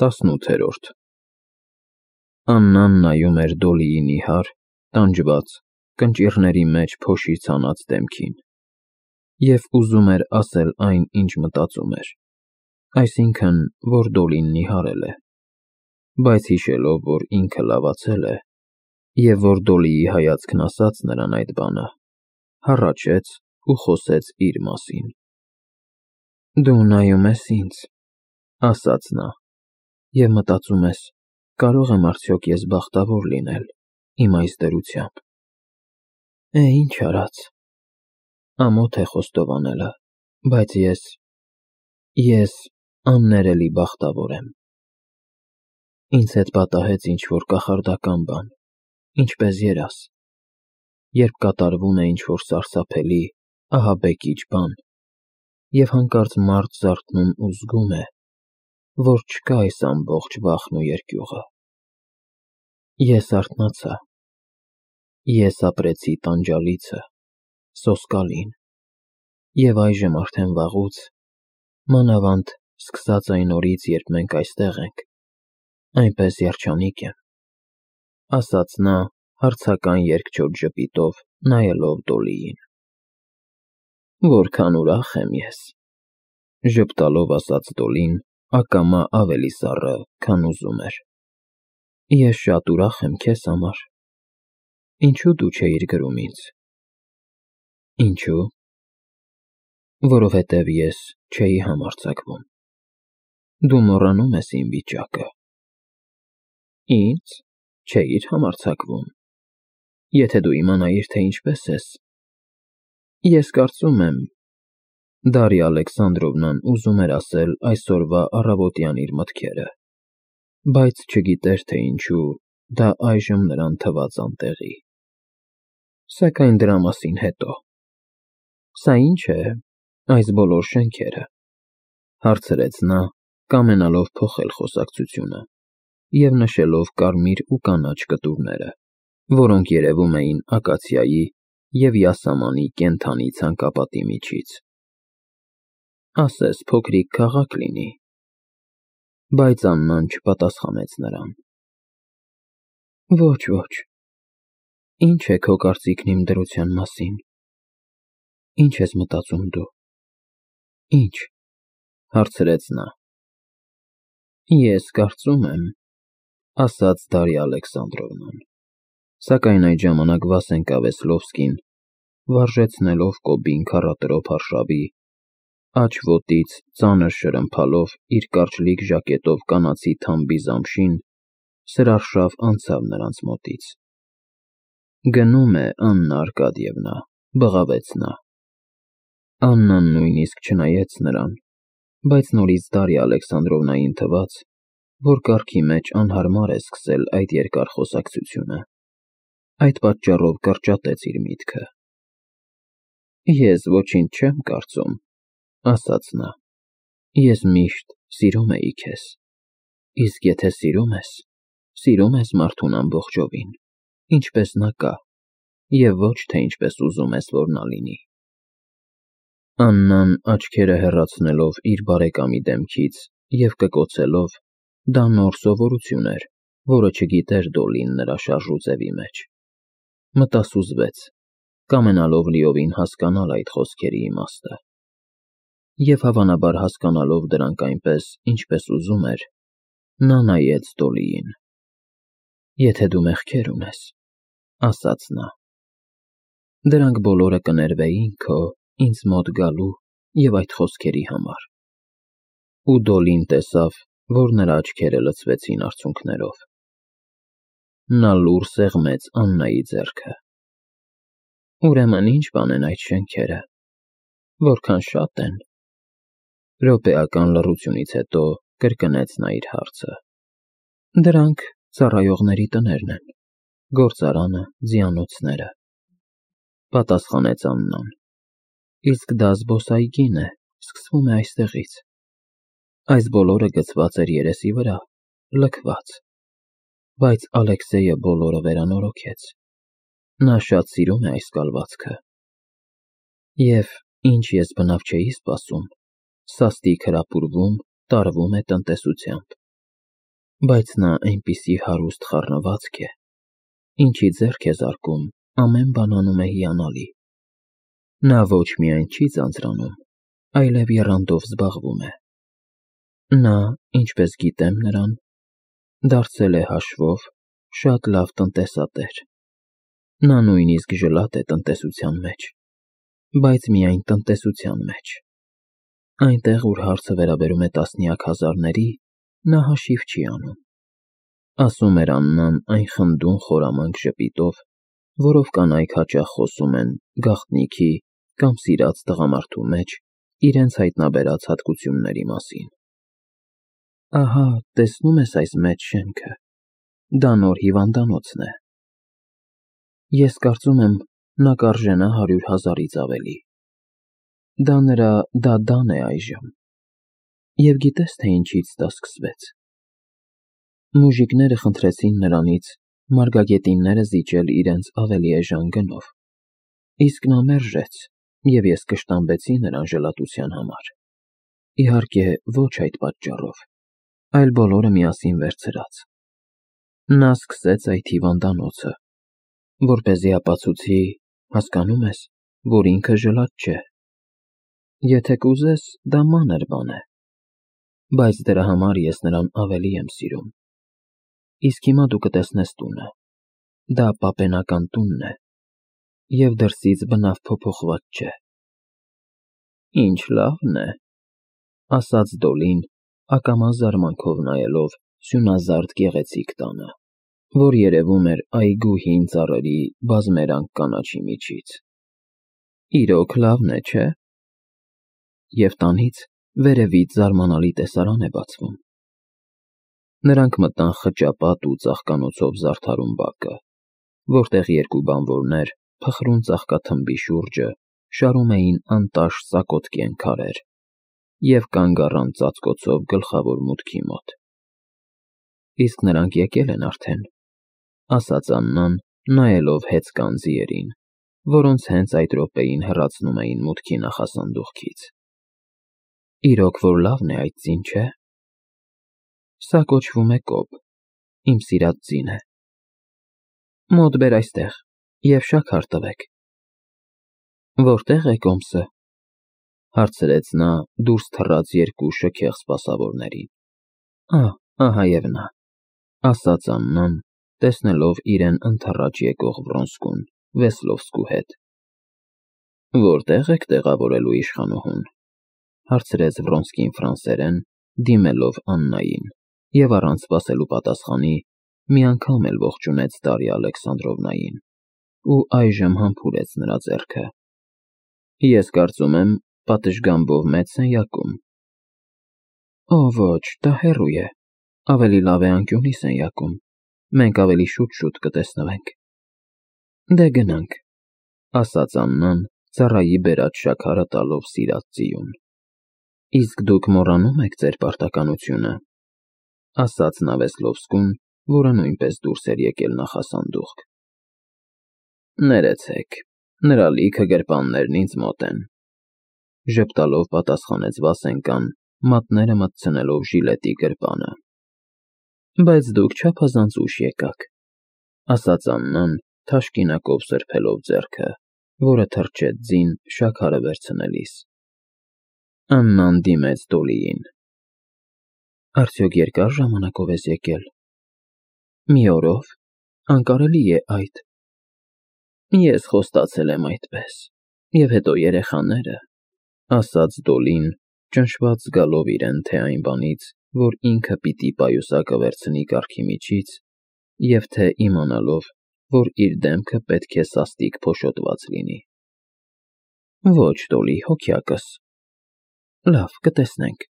18-րդ Աննան նայում էր Դոլիի նիհար, տանջված, կնճիռների մեջ փոշի ցանած դեմքին, և ուզում էր ասել այն, ինչ մտածում էր, այսինքն, որ Դոլին նիհարել է, բայց հիշելով, որ ինքը լավացել է, և որ Դոլիի հայացքն ասաց նրան այդ բանը, հառաչեց ու խոսեց իր մասին. Դու նայում ես ինձ, ասաց նա, և մտածում ես, կարո՞ղ եմ արդյոք ես բախտավոր լինել իմ այս դրությամբ: Ինչ արած, ամոթ է խոստովանելը, բայց ես աններելի բախտավոր եմ: Ինձ հետ պատահեց ինչ-որ կախարդական բան, ինչպես երազ, երբ կատարվում է ինչ-որ սարսափելի, ահաբեկիչ բան, և հանկարծ մարդ զարթնում ու զգում է, որ չկա այս ամբողջ վախն ու երկյուղը: Ես արթնացա, ես ապրեցի տանջալիցը, սոսկալին, և այժմ արդեն վաղուց, մանավանդ սկսած այն օրից, երբ մենք այստեղ ենք, այնպես երջանիկ եմ, ասաց նա հարցական երկչոտ ժպիտով, նայելով Դոլիին: Որքան ուրախ եմ ես, ժպտալով ասաց Դոլին ակամա ավելի սառը, քան ուզում էր: Ես շատ ուրախ եմ քեզ համար: Ինչո՞ւ դու չէիր գրում ինձ: Ինչո՞ւ: Որովհետև ես չէի համարձակվում: Դու մոռանում ես իմ վիճակը: Ինձ չէիր համարձակվում: Եթե դու իմանայիր, թե ինչպես ես: Ես կարծում եմ, Դարիա Ալեքսանդրովնան ուզում էր ասել այսօրվա առավոտյան իր մտքերը, բայց չգիտեր, թե ինչու դա այժմ նրան թվաց անտեղի: Սակայն դրա մասին հետո: Սա ի՞նչ է, այս բոլոր շենքերը, հարցրեց նա, կամենալով փոխել խոսակցությունը և նշելով կարմիր ու կանաչ կտուրները, որոնք երևում էին ակացիայի և յասամանի կենդանի ցանկապատի միջից: Ասես փոքրիկ քաղաք լինի: Բայց Աննան չպատասխանեց նրան: Ոչ, ի՞նչ է քո կարծիքն իմ դրության մասին: Ի՞նչ ես մտածում դու: Ի՞նչ: հարցրեց նա: Ես կարծում եմ, ասաց Դարիա Ալեքսանդրովնան, սակայն այդ ժամանակ Վասենկա Վեսլովսկին, վարժեցնելով Կոբին քառատրոփ արշավի, աջ ոտից ծանր շրմփալով իր կարճլիկ ժակետով կանացի թամբի զամշին, սրարշավ անցավ նրանց մոտից: Գնում է Աննա Արկադիևնա, բղավեց նա: Աննան նույնիսկ չնայեց նրան, բայց նորից Դարիա Ալեքսանդրովնային թվաց, որ կառքի մեջ անհարմար է սկսել այդ երկար խոսակցությունը: Այդ պատճառով կրճատեց իր միտքը: Ես ոչինչ չեմ կարծում, ասաց նա: Ես միշտ սիրում էի քեզ: Իսկ եթե սիրում ես մարդուն ամբողջովին, ինչպես նա կա, և ոչ թե ինչպես ուզում ես, որ նա լինի: Աննան աչքերը հեռացնելով իր բարեկամի դեմքից և կկոցելով, դա նոր սովորություն էր, որը չգիտեր Դոլին նրա շարժուձևի մեջ: Մտասուզվեց, կամենալով լիովին հասկանալ այդ խոսքերի իմաստը: Եվ հավանաբար հասկանալով դրանք այնպես, ինչպես ուզում էր, նա նայեց Դոլիին: Եթե դու մեղքեր ունես, ասաց նա, դրանք բոլորը կներվեին քո ինձ մոտ գալու և այդ խոսքերի համար: Ու Դոլին տեսավ, որ նրա աչքերը լցվեցին արցունքներով: Նա լուռ սեղմեց Աննայի ձեռքը: Ուրեմն ի՞նչ բան են այդ շենքերը, որքան շատ են: Րոպեական լռությունից հետո կրկնեց նա իր հարցը: Դրանք ծառայողների տներն են, գործարանը, ձիանոցները: Պատասխանեց Աննան: Իսկ դա զբոսայգին է, սկսվում է այստեղից: Այս բոլորը գցված էր երեսի վրա, լքված: Բայց Ալեքսեյը բոլորը վերանորոգեց: Նա շատ սիրում է այս կալվածքը: Եվ ինչ ես բնավ չէի սպասում, սաստիկ հրապուրվում, տարվում է տնտեսությամբ: բայց նա այնպիսի հարուստ խառնվածք է, ինչի ձեռք է զարկում, ամեն բան անում է հիանալի։ Նա ոչ միայն չի ձանձրանում, այլև եռանդով զբաղվում է։ Նա, ինչպես գիտեմ նրան, դարձել է հաշվով շատ լավ տնտեսատեր։ Նա նույնիսկ ժլատ է տնտեսության մեջ, բայց միայն տնտեսության մեջ։ Այնտեղ, ուր հարցը վերաբերում է տասնյակ հազարների, նա հաշիվ չի անում։ Ասում էր Աննան այն խնդուն խորամանկ ժպիտով, որով կանայք հաճախ խոսում են գաղտնիքի կամ սիրած տղամարդու մեջ իրենց հայտնաբերած հատկությունների մասին։ Ահա, տեսնում ես այս մեծ շենքը, դա նոր հիվանդանոցն է։ Ես կարծում եմ, նա կարժենա 100,000-ից ավելի։ Դա նրա դադան է այժմ։ Եվ գիտես, թե ինչից դա սկսվեց։ Մուժիկները խնդրեցին նրանից մարգագետինները զիջել իրենց ավելի էժան գնով, իսկ նա մերժեց, և ես կշտամբեցի նրան ժլատության համար։ Իհարկե, ոչ այդ պատճառով, այլ բոլորը միասին վերցրած։ Նա սկսեց այդ հիվանդանոցը, որպեսզի ապացուցի, հասկանում ես, որ ինքը ժլատ չէ։ Եթե կուզես, դա մանր բան է, բայց դրա համար ես նրան ավելի եմ սիրում։ Իսկ հիմա դու կտեսնես տունը, դա պապենական տունն է, և դրսից բնավ փոփոխված չէ։ Ինչ լավն է, ասաց Դոլին, ակամա զարմանքով նայելով սյունազարդ գեղեցիկ տանը, որ երևում էր այգու հին ծառերի բազմերանգ կանաչի միջից։ Իրոք լավն է, չէ՞։ Եվ տանից վերևից զարմանալի տեսարան է բացվում։ Նրանք մտան խճապատ ու ծաղկանոցով զարդարուն բակը, որտեղ երկու բանվորներ փխրուն ծաղկաթմբի շուրջը շարում էին անտաշ ծակոտկեն քարեր և կանգ առան ծածկոցով գլխավոր մուտքի մոտ։ Իսկ նրանք եկել են արդեն, ասաց Աննան, նայելով հեծկան ձիերին, որոնց հենց այդ րոպեին հեռացնում էին մուտքի նախասանդուղքից։ Իրոք որ լավն է այդ ձին, չէ՞։ Սա կոչվում է կոբ, իմ սիրած ձին է։ Մոտ բեր այստեղ և շաքար տվեք։ Որտե՞ղ է կոմսը, հարցրեց նա, դուրս թռած երկու շքեղ սպասավորներին։ Ահա և նա, ասաց Աննան, տեսնելով իրեն ընդառաջ եկող Վրոնսկուն Վեսլովսկու հետ։ Որտե՞ղ եք տեղավորելու իշխանուհուն, հարցրեց Վրոնսկին ֆրանսերեն, դիմելով Աննային, և առանց սպասելու պատասխանի, մի անգամ էլ ողջունեց Դարիա Ալեքսանդրովնային ու այժմ համբուրեց նրա ձեռքը։ Ես կարծում եմ, պատշգամբով մեծ սենյակում։ Օ, ոչ, դա հեռու է, ավելի լավ է անկյունի սենյակում, մենք ավելի շուտ կտեսնվենք։ Դե գնանք, ասաց Աննան, ծառայի բերած շաքարը տալով սիրած ձիուն։ Իսկ դուք մոռանում եք ձեր պարտականությունը, ասաց նա Վեսլովսկուն, որը նույնպես դուրս էր եկել նախասանդուղք։ Ներեցեք, նրա լիքը գրպաններն ինձ մոտ են, ժպտալով պատասխանեց Վասենկան, մատները մտցնելով ժիլետի գրպանը։ Բայց դուք չափազանց ուշ եկաք, ասաց Աննան, թաշկինակով սրբելով ձեռքը, որը թրջեց ձին շաքարը վերցնելիս։ Աննան դիմեց Դոլիին։ Արդյոք երկար ժամանակով ես եկել։ Մի օրով, անկարելի է այդ։ Ես խոստացել եմ այդպես, և հետո երեխաները, ասաց Դոլին, ճնշված զգալով իրեն թե այն բանից, որ ինքը պիտի պայուսակը վերցնի կառքի միջից, և թե իմանալով, որ իր դեմքը պետք է սաստիկ փոշոտված լինի։ Ոչ, Դոլի, հոգյակս։ Լավ, կտեսնենք,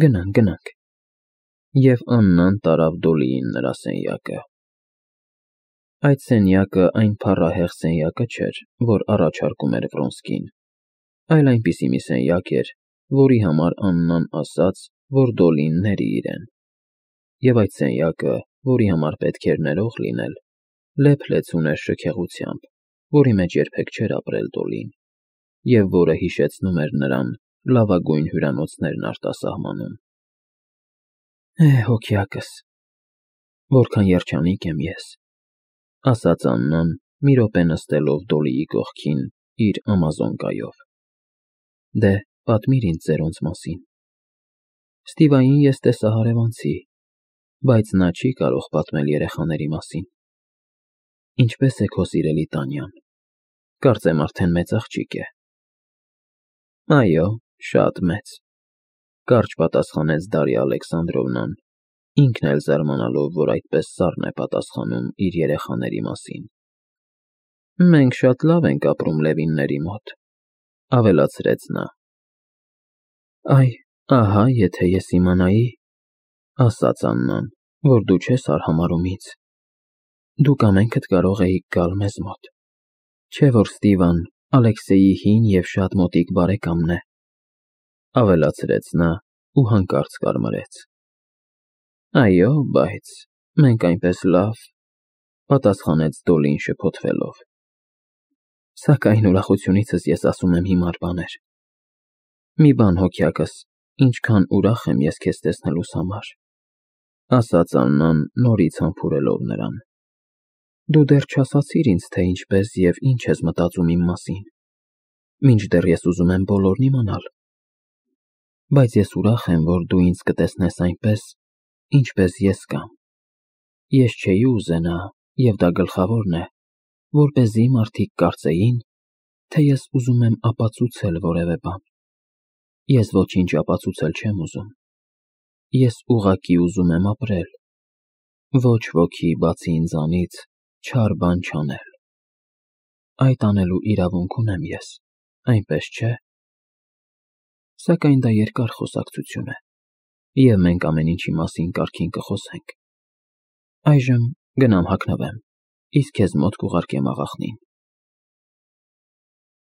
գնանք։ Եվ Աննան տարավ Դոլիին նրա սենյակը։ Այդ սենյակը այն փառահեղ սենյակը չէր, որ առաջարկում էր Վրոնսկին, այլ այնպիսի մի սենյակ էր, որի համար Աննան ասաց, որ Դոլին ների իրեն։ Եվ այդ սենյակը, որի համար պետք էր ներող լինել, լեփ-լեցուն ուներ շքեղությամբ, որի մեջ երբեք չէր ապրել Դոլին, և որը հիշեցնում էր նրան լավագույն հյուրանոցներն արտասահմանում։ Հոգյակս, որքան երջանիկ եմ ես, ասաց Աննան, մի րոպե նստելով Դոլիի կողքին իր ամազոնկայով։ Դե, պատմիր ինձ ձերոնց մասին։ Ստիվային ես տեսա հարևանցի, բայց նա չի կարող պատմել երեխաների մասին։ Ինչպե՞ս է քո սիրելի Տանյան։ Կարծեմ արդեն մեծ աղջիկ է։ Այո, շատ մեծ, կարճ պատասխանեց Դարիա Ալեքսանդրովնան, ինքն էլ զարմանալով, որ այդպես սառն է պատասխանում իր երեխաների մասին։ Մենք շատ լավ ենք ապրում Լևինների մոտ, ավելացրեց նա։ Այ, ահա, եթե ես իմանայի, ասաց Աննան, որ դու չես արհամարհում ինձ։ Դուք ամենքդ կարող էիք գալ մեզ մոտ։ Չէ՞ որ Ստիվան Ալեքսեյի հին և շատ մոտիկ բարեկամն է, ավելացրեց նա ու հանկարծ կարմրեց։ Այո, բայց մենք այնպես լավ, պատասխանեց Դոլին շփոթվելով։ Սակայն ուրախությունիցս ես ասում եմ հիմար բաներ։ Մի բան հոգյակս, ինչքան ուրախ եմ ես քեզ տեսնելուս համար, ասաց Աննան նորից համբուրելով նրան։ Դու դեռ չասացիր ինձ, թե ինչպես և ինչ ես մտածում իմ մասին, մինչդեռ ես ուզում եմ բոլորն իմանալ։ Բայց ես ուրախ եմ, որ դու ինձ կտեսնես այնպես, ինչպես ես կամ։ Ես չէի ուզենա, և դա գլխավորն է, որպեսզի մարդիկ կարծեին, թե ես ուզում եմ ապացուցել որևէ բան։ Ես ոչինչ ապացուցել չեմ ուզում։ Ես ուղղակի ուզում եմ ապրել, ոչ ոքի բացի ինձանից չար բան չանել։ Այդ անելու իրավունք ունեմ ես, այնպես չէ՞։ Սակայն դա երկար խոսակցություն է, և մենք ամեն ինչի մասին կարգին կխոսենք։ Այժմ գնամ հագնվեմ, իսկ քեզ մոտ կուղարկեմ աղախնին։